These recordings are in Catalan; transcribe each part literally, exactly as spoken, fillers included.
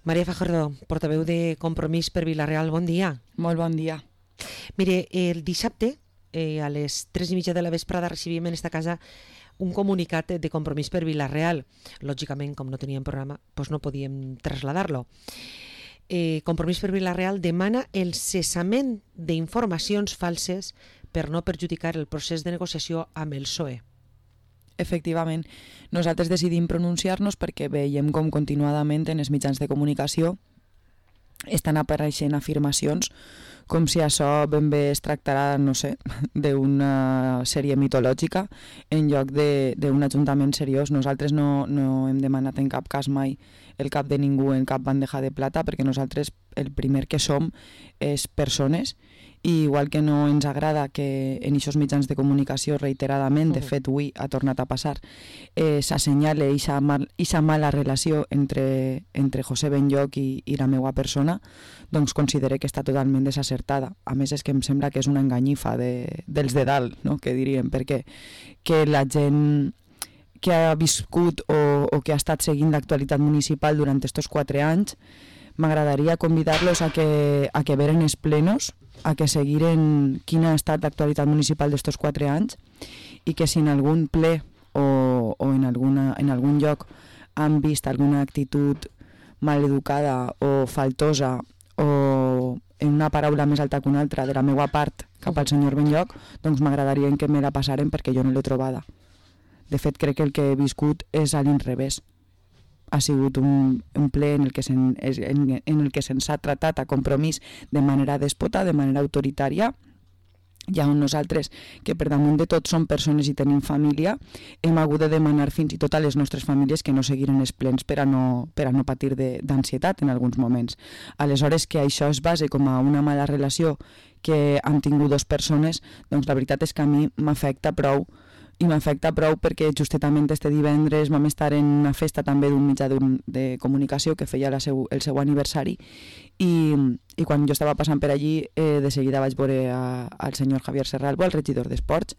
Maria Fajardo, portaveu de Compromís per Vila-real, bon dia. Molt bon dia. Mire, el dissabte, eh, a les tres i mitja de la vesprada, recibíem en esta casa un comunicat de Compromís per Vila-real. Lògicament, com no teníem programa, doncs no podíem traslladar-lo. Eh, Compromís per Vila-real demana el cessament d'informacions falses per no perjudicar el procés de negociació amb el P S O E. Efectivament, nosaltres decidim pronunciar-nos perquè veiem com continuadament en els mitjans de comunicació estan apareixent afirmacions com si això ben bé es tractarà, no sé, d'una sèrie mitològica en lloc d'un ajuntament seriós. Nosaltres no, no hem demanat en cap cas mai el cap de ningú en cap bandeja de plata, perquè nosaltres el primer que som és persones, i igual que no ens agrada que en aquests mitjans de comunicació reiteradament, de fet avui ha tornat a passar, eh, s'assenyale aquesta mal, mala relació entre, entre José Benlloch i, i la meva persona, doncs considere que està totalment desacertada. A més, és que em sembla que és una enganyifa de, dels de dalt, no? Que diríem, perquè que la gent que ha viscut o, o que ha estat seguint l'actualitat municipal durant aquests quatre anys, m'agradaria convidar-los a que, a que veren els plenos, a que seguiren quina ha estat l'actualitat municipal d'estos quatre anys, i que si en algun ple o, o en, alguna, en algun lloc han vist alguna actitud maleducada o faltosa o en una paraula més alta que una altra de la meva part cap al senyor Benlloch, doncs m'agradaria que me la passaren perquè jo no l'he trobada. De fet, crec que el que he viscut és a l'inrevés. Ha sigut un, un ple en el que se'n, en, en el que se'ns ha tratat a Compromís de manera dèspota, de manera autoritària, i on nosaltres, que per damunt de tot som persones i tenim família, hem hagut de demanar fins i tot a les nostres famílies que no seguiren els plens per a no, per a no patir d'ansietat en alguns moments. Aleshores, que això es base com a una mala relació que han tingut dues persones, doncs la veritat és que a mi m'afecta prou, i m'afecta prou perquè justament este divendres vam estar en una festa també d'un mitjà de comunicació que feia la seu, el seu aniversari, i, i quan jo estava passant per allí eh, de seguida vaig veure a, al senyor Javier Serralbo, el regidor d'Esports,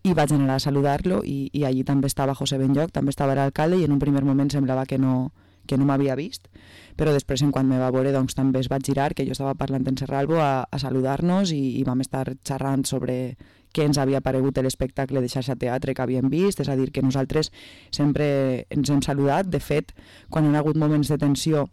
i vaig anar a saludar-lo, i, i allí també estava José Benlloch, també estava l'alcalde, i en un primer moment semblava que no, que no m'havia vist, però després en quan me va veure doncs també es va girar, que jo estava parlant en Serralbo, a, a saludar-nos, i, i vam estar xerrant sobre què ens havia paregut l'espectacle de Xarxa Teatre que havíem vist, és a dir, que nosaltres sempre ens hem saludat. De fet, quan hi ha hagut moments de tensió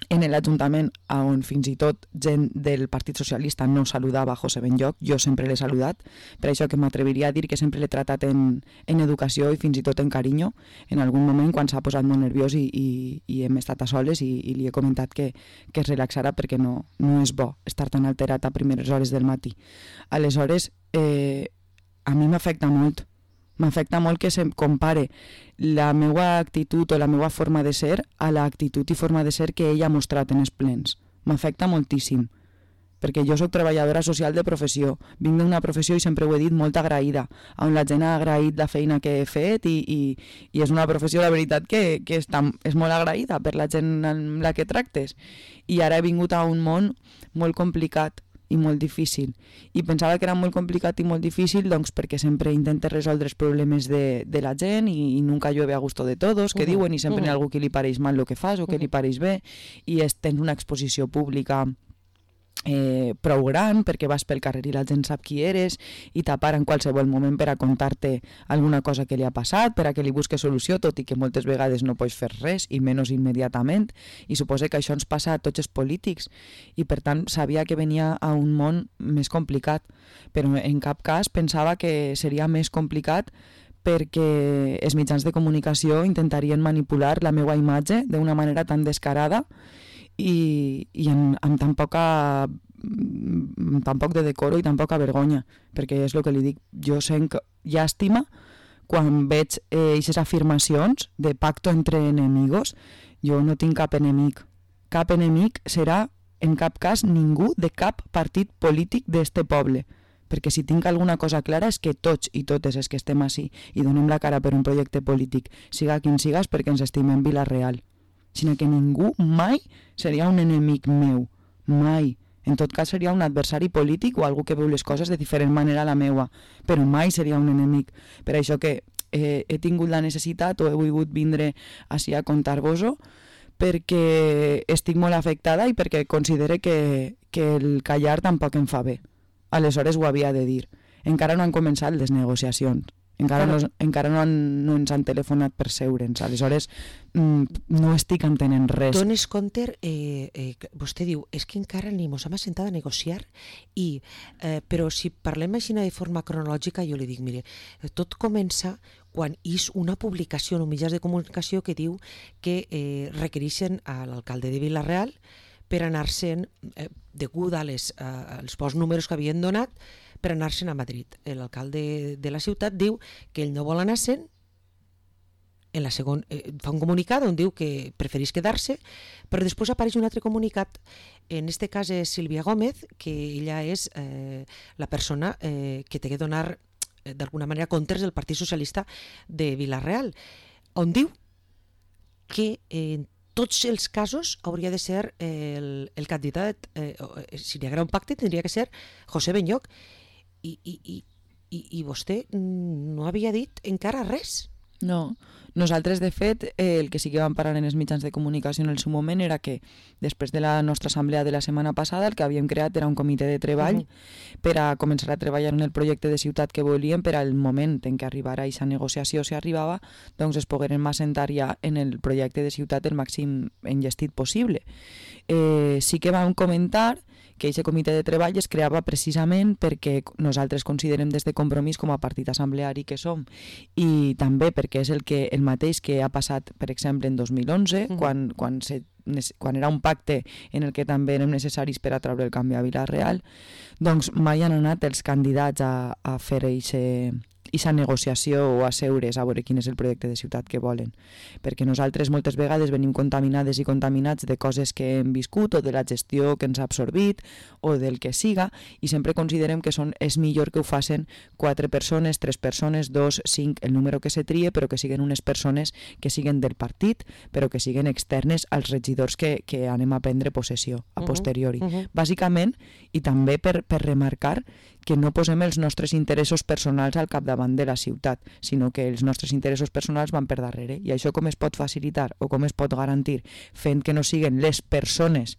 en l'Ajuntament, on fins i tot gent del Partit Socialista no saludava José Benlloch, jo sempre l'he saludat, per això que m'atreviria a dir que sempre l'he tratat en, en educació i fins i tot en carinyo, en algun moment quan s'ha posat molt nerviós i, i, i hem estat a soles, i, i li he comentat que, que es relaxara perquè no, no és bo estar tan alterat a primeres hores del matí. Aleshores, eh, a mi m'afecta molt, m'afecta molt que se compare la meva actitud o la meva forma de ser a l'actitud i forma de ser que ella ha mostrat en els plens. M'afecta moltíssim, perquè jo soc treballadora social de professió, vinc d'una professió i sempre ho he dit molt agraïda, on la gent ha agraït la feina que he fet, i, i, i és una professió, la veritat, que, que està, és molt agraïda per la gent amb la que tractes, i ara he vingut a un món molt complicat i molt difícil, i pensava que era molt complicat i molt difícil doncs perquè sempre intentes resoldre els problemes de, de la gent, i, i nunca llueve a gusto de todos, que uh -huh. diuen, i sempre uh -huh. hi ha algú que li pareix mal el que fas o que uh -huh. li pareix bé, i és, tens una exposició pública Eh, prou gran perquè vas pel carrer i la gent sap qui eres, i t'apara en qualsevol moment per a contar-te alguna cosa que li ha passat, per a que li busques solució, tot i que moltes vegades no pots fer res, i menys immediatament, i suposo que això ens passa a tots els polítics, i per tant sabia que venia a un món més complicat, però en cap cas pensava que seria més complicat perquè els mitjans de comunicació intentarien manipular la meva imatge d'una manera tan descarada i, i amb, amb tan poca amb tan poc de decoro i tan poca vergonya, perquè és el que li dic, jo sent llàstima quan veig aquestes eh, afirmacions de pacto entre enemigos. Jo no tinc cap enemic, cap enemic serà en cap cas ningú de cap partit polític d'este poble, perquè si tinc alguna cosa clara és que tots i totes els que estem així i donem la cara per un projecte polític, siga quin sigas, perquè ens estimem Vila-real, sinó que ningú mai seria un enemic meu, mai. En tot cas seria un adversari polític o algú que veu les coses de diferent manera a la meua, però mai seria un enemic. Per això que eh, he tingut la necessitat o he volgut vindre així a contar-vos-ho, perquè estic molt afectada i perquè considere que, que el callar tampoc em fa bé. Aleshores ho havia de dir. Encara no han començat les negociacions. Encara, claro. no, encara no, han, no ens han telefonat per seure'ns. Aleshores mm, no estic entenent res. Dones compte, eh, eh, vostè diu, és que encara ni mos hem assentat a negociar, i, eh, però si parlem així de forma cronològica, jo li dic, mire, tot comença quan és una publicació en mitjans de comunicació que diu que eh, requereixen a l'alcalde de Vila-real per anar-se'n, eh, degut a les, eh, als pocs números que havien donat, per anar-se'n a Madrid. L'alcalde de la ciutat diu que ell no vol anar-se'n, en la segon, eh, fa un comunicat on diu que prefereix quedar-se, però després apareix un altre comunicat, en este cas és Sílvia Gómez, que ella és eh, la persona eh, que té que donar eh, d'alguna manera comptes del Partit Socialista de Vila-real, on diu que en tots els casos hauria de ser eh, el, el candidat, eh, si hi haguera un pacte tindria que ser José Benlloch, i, i, i, i, i vostè no havia dit encara res. No, nosaltres de fet eh, el que sí que vam parar en els mitjans de comunicació en el seu moment era que després de la nostra assemblea de la setmana passada el que havíem creat era un comitè de treball uh-huh. per a començar a treballar en el projecte de ciutat que volíem, per al moment en què arribara aquesta negociació, si arribava, doncs es pogueren assentar ja en el projecte de ciutat el màxim enllestit possible. Eh, sí que vam comentar que aquest comitè de treball es creava precisament perquè nosaltres considerem des de Compromís com a partit assembleari que som, i també perquè és el, que, el mateix que ha passat, per exemple, en dos mil onze, uh-huh. quan, quan, se, quan era un pacte en el que també érem necessaris per a treure el canvi a Vila-real, doncs mai han anat els candidats a, a fer aquesta negociació o a seure's a veure quin és el projecte de ciutat que volen. Perquè nosaltres moltes vegades venim contaminades i contaminats de coses que hem viscut o de la gestió que ens ha absorbit o del que siga, i sempre considerem que són, és millor que ho facin quatre persones, tres persones, dos, cinc, el número que se trie, però que siguin unes persones que siguin del partit, però que siguin externes als regidors que, que anem a prendre possessió a posteriori. Uh-huh, uh-huh. Bàsicament, i també per, per remarcar que no posem els nostres interessos personals al capdavant de la ciutat, sinó que els nostres interessos personals van per darrere. I això com es pot facilitar o com es pot garantir? Fent que no siguin les persones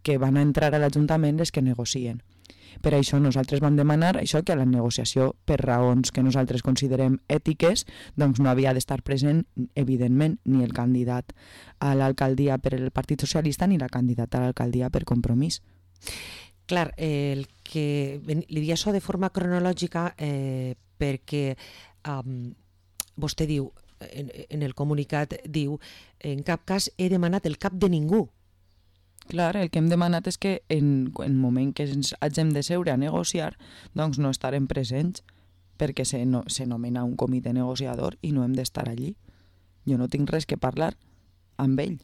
que van a entrar a l'Ajuntament les que negocien. Per això nosaltres vam demanar això, que a la negociació, per raons que nosaltres considerem ètiques, doncs no havia d'estar present, evidentment, ni el candidat a l'alcaldia per el Partit Socialista ni la candidata a l'alcaldia per Compromís. Clar, eh, el que li dic això de forma cronològica eh, perquè um, vostè diu, en, en el comunicat diu, en cap cas he demanat el cap de ningú. Clar, el que hem demanat és que en el moment que ens hàgim de seure a negociar, doncs no estarem presents, perquè se, no, se nomena un comitè negociador i no hem d'estar allí. Jo no tinc res que parlar amb ell.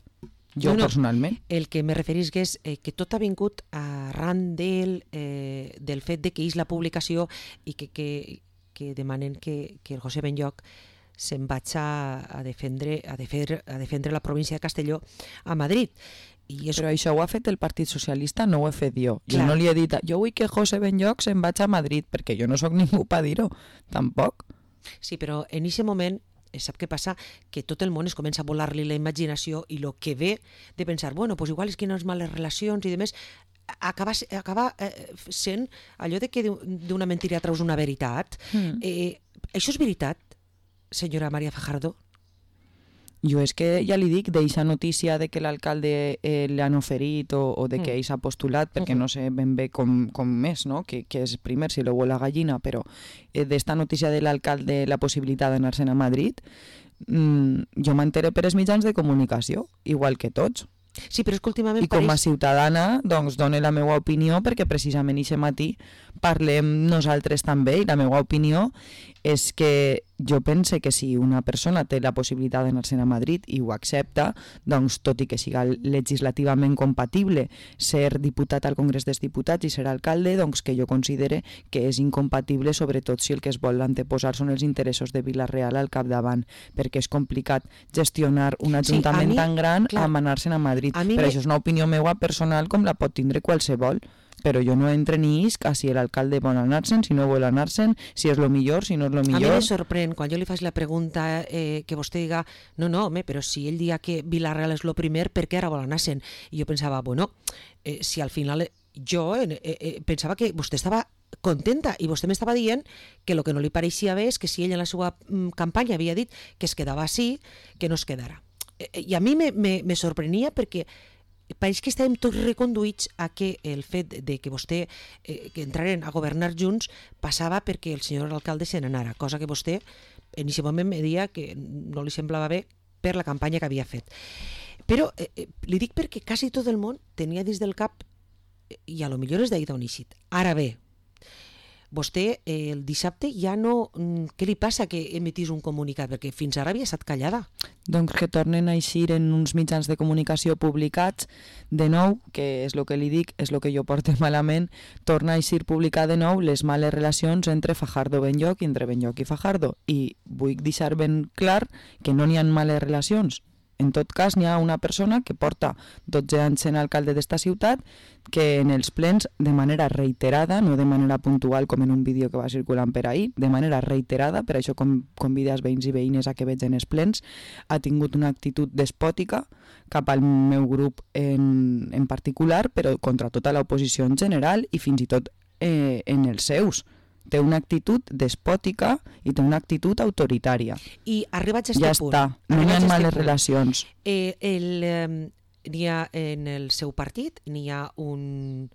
Jo no, no. personalment. El que me referís que és eh, que tot ha vingut arran del, eh, del fet de que és la publicació i que, que, que demanen que, que el José Benlloch se'n vagi a, a, defendre, a, defendre, a defendre la província de Castelló a Madrid. I és... Però això ho ha fet el Partit Socialista, no ho he fet jo. Clar. Jo no li he dit, jo vull que José Benlloch se'n vagi a Madrid, perquè jo no sóc ningú per dir-ho, tampoc. Sí, però en aquest moment sap què passa? Que tot el món es comença a volar-li la imaginació i el que ve de pensar, bueno, pues igual és que no és males relacions i demés, acaba, acaba eh, sent allò de que d'una mentira treus una veritat. Mm. Eh, això és veritat, senyora María Fajardo? Jo és que ja li dic d'eixa notícia de que l'alcalde eh, l'han oferit o, o de que ell s'ha postulat, perquè uh-huh. no sé ben bé com, com és, no? que, que és primer si l'ou o la gallina, però eh, d'esta notícia de l'alcalde la possibilitat d'anar-se'n a Madrid, mmm, jo m'entere per els mitjans de comunicació, igual que tots. Sí, però és que últimament I com a pareix... ciutadana, doncs, dono la meva opinió, perquè precisament aquest matí parlem nosaltres també, i la meva opinió és que jo pense que si una persona té la possibilitat d'anar-se'n a Madrid i ho accepta, doncs, tot i que siga legislativament compatible ser diputat al Congrés dels Diputats i ser alcalde, doncs que jo considere que és incompatible, sobretot si el que es vol anteposar són els interessos de Vila-real al capdavant, perquè és complicat gestionar un ajuntament sí, mi, tan gran clar, amb anar-se'n a Madrid. A però me... això és una opinió meva personal com la pot tindre qualsevol, però jo no entre ni isc a si l'alcalde vol anar-se'n, si no vol anar-se'n, si és lo millor, si no és lo millor. A mi me sorprèn, quan jo li faig la pregunta eh, que vostè diga, no, no, home, però si ell dia que Vila-real és lo primer, per què ara vol anar-se'n? I jo pensava, bueno, eh, si al final jo eh, eh, pensava que vostè estava contenta i vostè m'estava dient que el que no li pareixia bé és que si ell en la seva mm, campanya havia dit que es quedava així, que no es quedara. Eh, I a mi me, me, me sorprenia perquè pareix que estàvem tots reconduïts a que el fet de que vostè eh, que entraren a governar junts passava perquè el senyor alcalde se n'anara, cosa que vostè en aquest moment me deia que no li semblava bé per la campanya que havia fet. Però eh, eh, li dic perquè quasi tot el món tenia dins del cap i a lo millor és d'ahir d'on eixit. Ara bé, vostè eh, el dissabte ja no... Què li passa que emetís un comunicat? Perquè fins ara havia estat callada. Doncs que tornen a eixir en uns mitjans de comunicació publicats de nou, que és el que li dic, és el que jo porto malament, torna a eixir publicar de nou les males relacions entre Fajardo Benlloch i entre Benlloch i Fajardo. I vull deixar ben clar que no n'hi ha males relacions. En tot cas, n'hi ha una persona que porta dotze anys sent alcalde d'esta ciutat que en els plens, de manera reiterada, no de manera puntual com en un vídeo que va circulant per ahir, de manera reiterada, per això com convida els veïns i veïnes a que vegin els plens, ha tingut una actitud despòtica cap al meu grup en, en particular, però contra tota l'oposició en general i fins i tot eh, en els seus. Té una actitud despòtica i té una actitud autoritària. I arribats a este ja punt... Ja està, no hi ha males punt, relacions. Eh, el, eh, n'hi ha en el seu partit, n'hi ha un,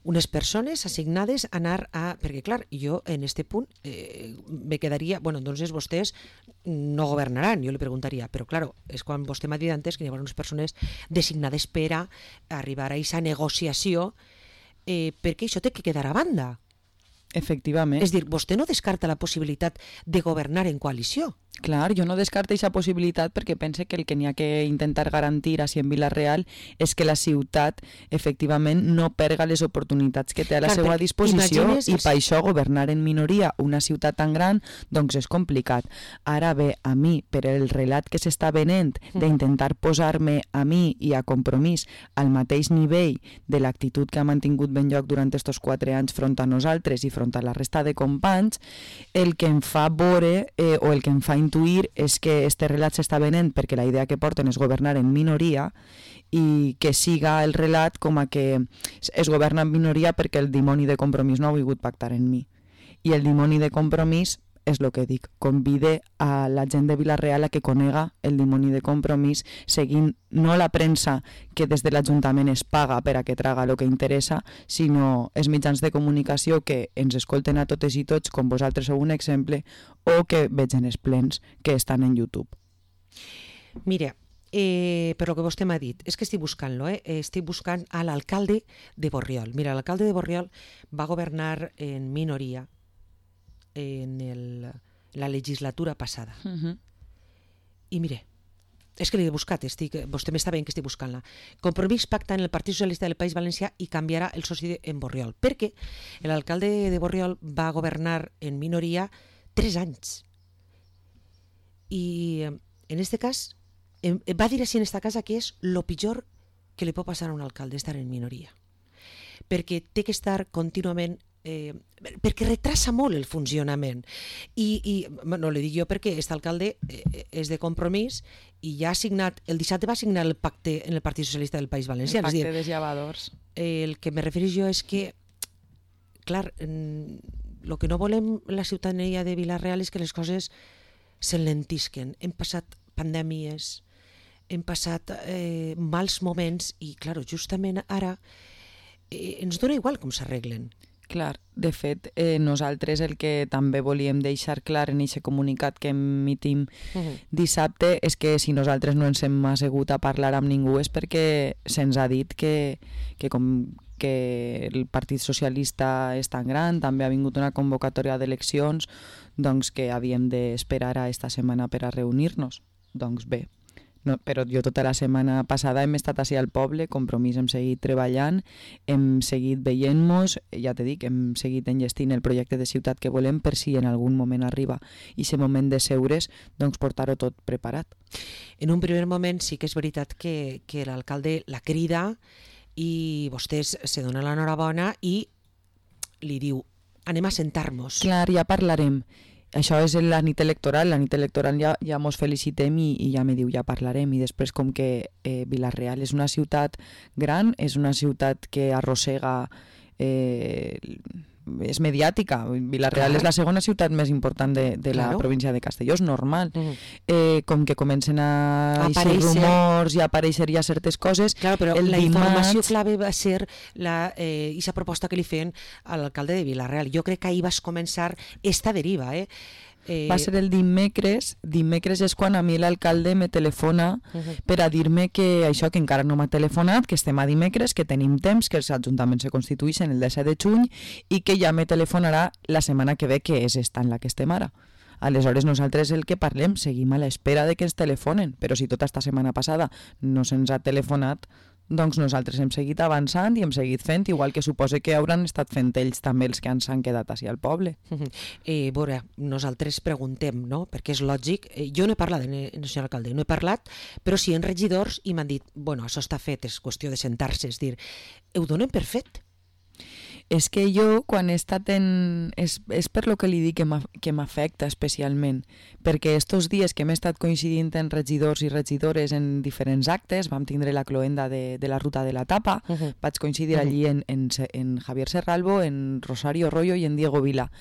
unes persones assignades a anar a... Perquè, clar, jo en este punt eh, me quedaria... Bueno, doncs vostès no governaran, jo li preguntaria, però, clar, és quan vostè m'ha dit antes que hi ha unes persones designades per a arribar a aquesta negociació eh, perquè això té que quedar a banda. Efectivament. És dir, vostè no descarta la possibilitat de governar en coalició. Clar, jo no descarto aquesta possibilitat perquè pense que el que n'hi ha que intentar garantir així en Vila-real és que la ciutat efectivament no perga les oportunitats que té a la Clar, seva disposició i per això governar en minoria una ciutat tan gran doncs és complicat. Ara bé, a mi, per el relat que s'està venent d'intentar posar-me a mi i a Compromís al mateix nivell de l'actitud que ha mantingut Benlloch durant aquests quatre anys front a nosaltres i front a la resta de companys, el que em fa veure eh, o el que em fa intuir és que este relat s'està venent perquè la idea que porten és governar en minoria i que siga el relat com a que es governa en minoria perquè el dimoni de Compromís no ha volgut pactar en mi. I el dimoni de Compromís és el que dic, convide a la gent de Vila-real a que conega el dimoni de Compromís seguint no la premsa que des de l'Ajuntament es paga per a que traga el que interessa, sinó els mitjans de comunicació que ens escolten a totes i tots, com vosaltres sou un exemple, o que vegen els plens que estan en YouTube. Mira, eh, per lo que vostè m'ha dit, és que estic buscant-lo, eh? estic buscant a l'alcalde de Borriol. Mira, l'alcalde de Borriol va governar en minoria en el, la legislatura passada. Uh-huh. I mire, és que l'he buscat, estic, vostè m'està veient que estic buscant-la. Compromís pacta en el Partit Socialista del País Valencià i canviarà el soci en Borriol, perquè l'alcalde de Borriol va governar en minoria tres anys. I en este cas, va dir així en esta casa que és lo pitjor que li pot passar a un alcalde, estar en minoria. Perquè té que estar contínuament Eh, perquè retrasa molt el funcionament i, i no li dic jo perquè aquest alcalde eh, és de Compromís i ja ha signat, el dissabte va signar el pacte en el Partit Socialista del País Valencià, el pacte és dir, de llevadors. Eh, el que me refereix jo és que clar, el que no volem la ciutadania de Vila-real és que les coses s'enlentisquen. Hem passat pandèmies, hem passat eh, mals moments i clar, justament ara eh, ens dona igual com s'arreglen. Clar, de fet, eh, nosaltres el que també volíem deixar clar en aquest comunicat que emitim uh-huh. dissabte és que si nosaltres no ens hem assegut a parlar amb ningú és perquè se'ns ha dit que, que com que el Partit Socialista és tan gran, també ha vingut una convocatòria d'eleccions, doncs que havíem d'esperar a esta setmana per a reunir-nos. Doncs bé, no, però jo tota la setmana passada hem estat així al poble, Compromís, hem seguit treballant, hem seguit veient-nos, ja te dic, hem seguit enllestint el projecte de ciutat que volem per si en algun moment arriba i aquest moment de seure's, doncs portar-ho tot preparat. En un primer moment sí que és veritat que, que l'alcalde la crida i vostès se donen l'enhorabona i li diu, anem a sentar-nos. Clar, ja parlarem. Això és la nit electoral, la nit electoral ja, ja mos felicitem i, i ja me diu, ja parlarem. I després com que eh, Vila-real és una ciutat gran, és una ciutat que arrossega... Eh, és mediàtica. Vila-real Clar. és la segona ciutat més important de, de la Claro. província de Castelló, és normal. Mm. Eh, com que comencen a eixir Aparèixer. rumors i a aparèixer ja certes coses, Claro, però el la informació dimarts... clave va ser la, eh, aquesta proposta que li feien a l'alcalde de Vila-real. Jo crec que ahir vas començar esta deriva, eh? Eh, Va ser el dimecres. Dimecres és quan a mi l'alcalde me telefona uh -huh. per a dir-me que això, que encara no m'ha telefonat, que estem a dimecres, que tenim temps, que els ajuntaments se constitueixen el disset de juny i que ja me telefonarà la setmana que ve, que és esta en la que estem ara. Aleshores nosaltres el que parlem, seguim a l'espera de que ens telefonen, però si tota esta setmana passada no se'ns ha telefonat, doncs nosaltres hem seguit avançant i hem seguit fent, igual que suposa que hauran estat fent ells també els que ens han quedat així al poble. Uh -huh. eh, veure, nosaltres preguntem, no? Perquè és lògic. Eh, jo no he parlat, eh, senyor alcalde, no he parlat, però sí en regidors i m'han dit, bueno, això està fet, és qüestió de sentar-se, és dir, ho donen per fet. És que jo, quan he estat en... És, és per lo que li dic que m'af- que m'afecta especialment, perquè estos dies que hem estat coincidint en regidors i regidores en diferents actes, vam tindre la cloenda de, de la ruta de la tapa, Uh -huh. vaig coincidir Mhm. allí en, en, Se- en Javier Serralbo, en Rosario Rollo i en Diego Vila.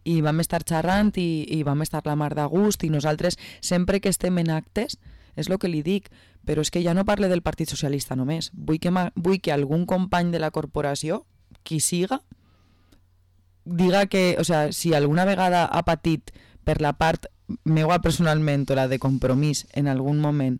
I vam estar xerrant i, i vam estar la mar de gust i nosaltres, sempre que estem en actes, és el que li dic, però és que ja no parle del Partit Socialista només. Vull que, ma- vull que algun company de la corporació, qui siga, diga que, o sea, si alguna vegada ha patit per la part meua personalment o la de Compromís en algun moment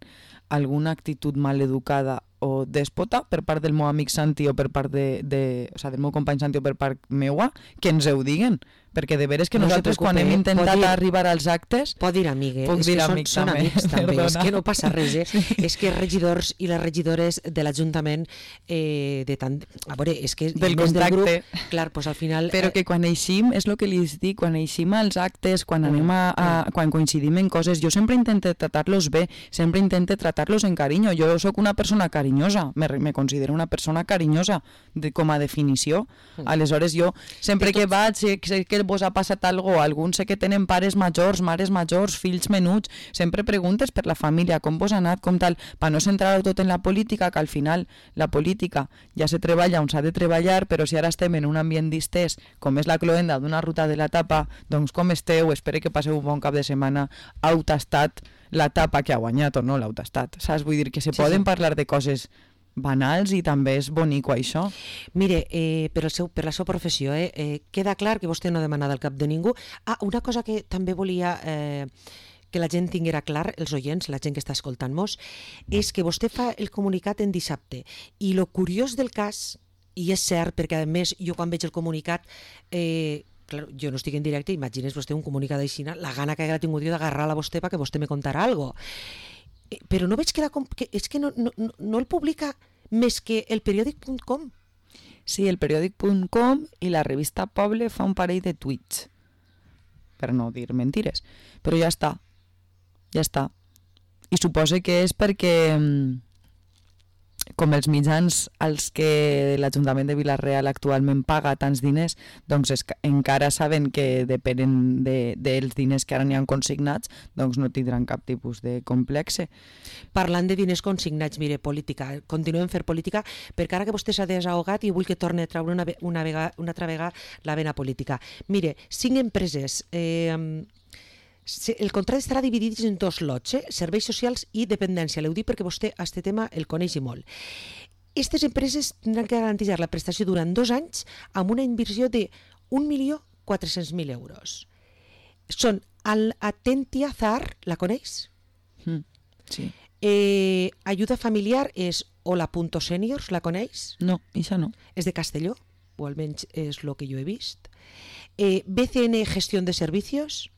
alguna actitud maleducada o dèspota per part del meu amic Santi o per part de, de, o sea, del meu company Santi o per part meua, que ens ho diguen, perquè de veres que No se nosaltres quan preocupe, hem intentat pot dir- arribar als actes... Pot dir amigues, Puc és dir que són, amic són també, amics també, és perdona. que no passa res, eh? Sí. És que els regidors i les regidores de l'Ajuntament eh, de tant... A veure, és que Del més del grup, contacte. clar, pues al final... Però eh, que quan eixim, és el que li dic, quan eixim als actes, quan anem a, a quan coincidim en coses, jo sempre intento tratar-los bé, sempre intento tratar-los en carinyo. Jo sóc una persona carinyosa, me, me considero una persona carinyosa de, com a definició. Aleshores jo, sempre De que tots- vaig, sé, sé que vos ha passat alguna cosa, alguns sé que tenen pares majors, mares majors, fills menuts, sempre preguntes per la família, com vos ha anat, com tal, per no centrar-ho tot en la política, que al final la política ja se treballa on s'ha de treballar, però si ara estem en un ambient distès, com és la cloenda d'una ruta de la tapa, doncs com esteu? Espero que passeu un bon cap de setmana. Heu tastat la tapa que ha guanyat o no l'heu tastat, saps? Vull dir que se Sí, poden sí. parlar de coses banals i també és bonico això. Mire, eh, per, el seu, per la seva professió, eh, eh, queda clar que vostè no ha demanat el cap de ningú. Ah, una cosa que també volia eh, que la gent tinguera clar, els oients, la gent que està escoltant-nos, és que vostè fa el comunicat en dissabte. I lo curiós del cas, i és cert, perquè a més jo quan veig el comunicat, eh, clar, jo no estic en directe, imagines vostè un comunicat així, la gana que haguera tingut jo d'agarrar-la a vostè perquè vostè me contara algo. Eh, Però no veig que, la, com- que és que no, no, no- no el publica més que el periòdic punt com. Sí, el periòdic punt com i la revista Poble fa un parell de tuits, per no dir mentires, però ja està, ja està. I suposo que és perquè, mm, com els mitjans als que l'Ajuntament de Vila-real actualment paga tants diners, doncs és, que encara saben que depenen de, dels diners que ara n'hi han consignats, doncs no tindran cap tipus de complexe. Parlant de diners consignats, mire, política, continuem fent política, perquè ara que vostè s'ha desahogat i vull que torni a treure una, ve- una, vega, una altra vegada la vena política. Mire, cinc empreses, eh, se- el contracte estarà dividit en dos lots, eh? Serveis socials i dependència. L'heu dit perquè vostè a este tema el coneix i molt. Aquestes empreses tindran que garantir la prestació durant dos anys amb una inversió de un milió quatre-cents mil euros. Són el Atentia Zar, la coneix? Mm, sí. Eh, ajuda familiar és hola.seniors, la coneix? No, això no. És de Castelló, o almenys és el que jo he vist. Eh, B C N Gestión de Servicios,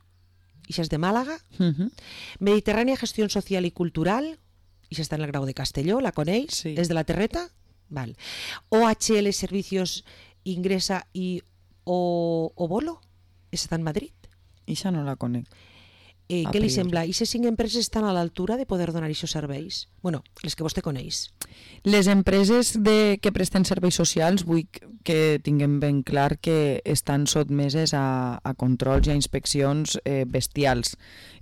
això és de Màlaga. Mhm. Mediterrània Gestión Social i Cultural, això està en el Grau de Castelló, la coneix? Sí. És de la Terreta? Val. O H L Servicios Ingresa i o, o Bolo, està en Madrid. Això no la conec. Eh, què li sembla? I ces cinc empreses estan a l'altura de poder donar aquests serveis? Bueno, les que vostè coneix. Les empreses de, que presten serveis socials vull que tinguem ben clar que estan sotmeses a, a controls i a inspeccions eh, bestials.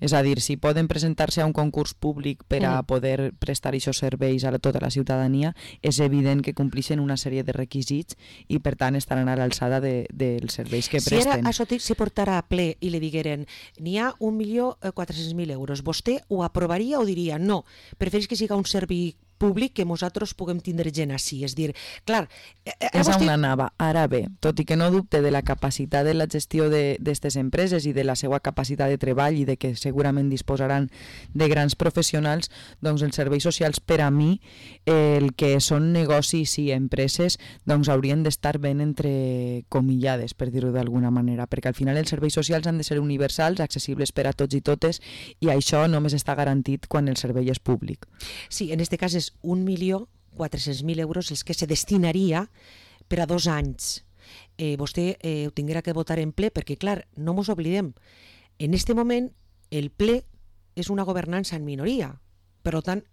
És a dir, si poden presentar-se a un concurs públic per a poder prestar aquests serveis a la, tota la ciutadania, és evident que complixen una sèrie de requisits i per tant estaran a l'alçada de, dels serveis que presten. Si ara això se portara a ple i li digueren n'hi ha un milió quatre-cents mil euros, vostè ho aprovaria o diria no, prefereix que siga un servei públic que nosaltres puguem tindre gent així? És dir, clar... És vostè... on anava. Ara bé, tot i que no dubte de la capacitat de la gestió d'aquestes empreses i de la seva capacitat de treball i de que segurament disposaran de grans professionals, doncs els serveis socials per a mi, eh, el que són negocis i empreses, doncs haurien d'estar ben entrecomillades, per dir-ho d'alguna manera, perquè al final els serveis socials han de ser universals, accessibles per a tots i totes, i això només està garantit quan el servei és públic. Sí, en aquest cas és un milió quatre-cents mil euros els que se destinaria per a dos anys. Eh, vostè eh, ho tinguera que votar en ple perquè, clar, no mos oblidem, en este moment el ple és una governança en minoria. Per tant,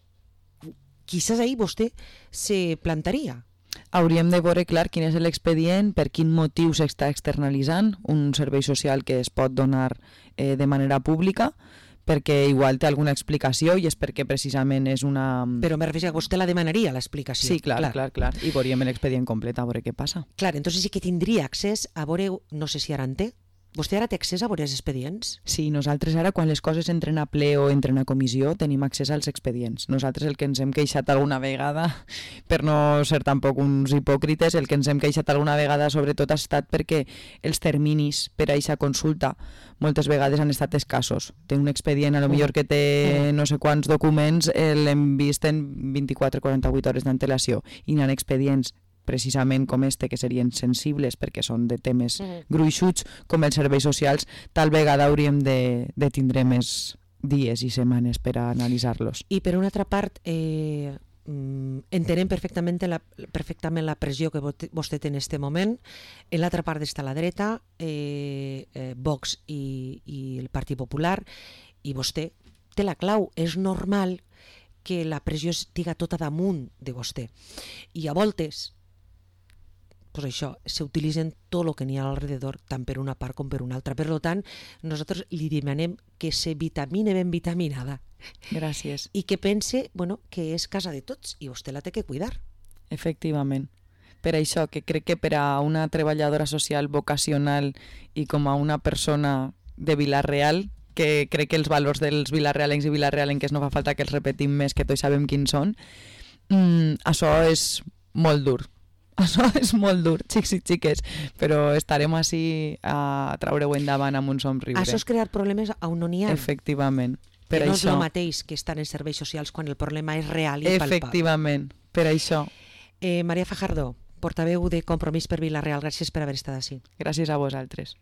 quizás ahí vostè se plantaria. Hauríem de veure clar quin és l'expedient, per quin motiu s'està externalitzant un servei social que es pot donar eh, de manera pública, perquè igual té alguna explicació i és perquè precisament és una... Però me refereixo que vostè la demanaria, l'explicació. Sí, clar, clar, clar, clar. I veuríem l'expedient complet a veure què passa. Clar, entonces sí que tindria accés a veure, no sé si ara en té, vostè ara té accés a veure els expedients? Sí, nosaltres ara quan les coses entren a ple o entren a comissió tenim accés als expedients. Nosaltres el que ens hem queixat alguna vegada, per no ser tampoc uns hipòcrites, el que ens hem queixat alguna vegada sobretot ha estat perquè els terminis per a aquesta consulta moltes vegades han estat escassos. Té un expedient, a lo millor que té no sé quants documents, l'hem vist en vint-i-quatre a quaranta-vuit hores d'antelació i n'hi ha expedients precisament com este, que serien sensibles perquè són de temes gruixuts com els serveis socials, tal vegada hauríem de, de tindre més dies i setmanes per a analitzar-los. I per una altra part, eh, entenem perfectament la, perfectament la pressió que vostè té en aquest moment. En l'altra part està la dreta, eh, eh, Vox i, i el Partit Popular, i vostè té la clau. És normal que la pressió estiga tota damunt de vostè. I a voltes pues això, s'utilitzen tot el que n'hi ha alrededor, tant per una part com per una altra. Per tant, nosaltres li demanem que se vitamine ben vitaminada. Gràcies. I que pense, bueno, que és casa de tots i vostè la té que cuidar. Efectivament. Per això, que crec que per a una treballadora social vocacional i com a una persona de Vila-real, que crec que els valors dels vilarrealencs i vilarrealenques no fa falta que els repetim més, que tots sabem quins són, mm, això és molt dur. Això és molt dur, xics i xiques, però estarem així a traure-ho endavant amb un somriure. Això és crear problemes on no n'hi ha. Efectivament. Per que no això... és el mateix que estar en serveis socials quan el problema és real i palpable. Efectivament, per això. Eh, Maria Fajardo, portaveu de Compromís per Vila-real, gràcies per haver estat així. Gràcies a vosaltres.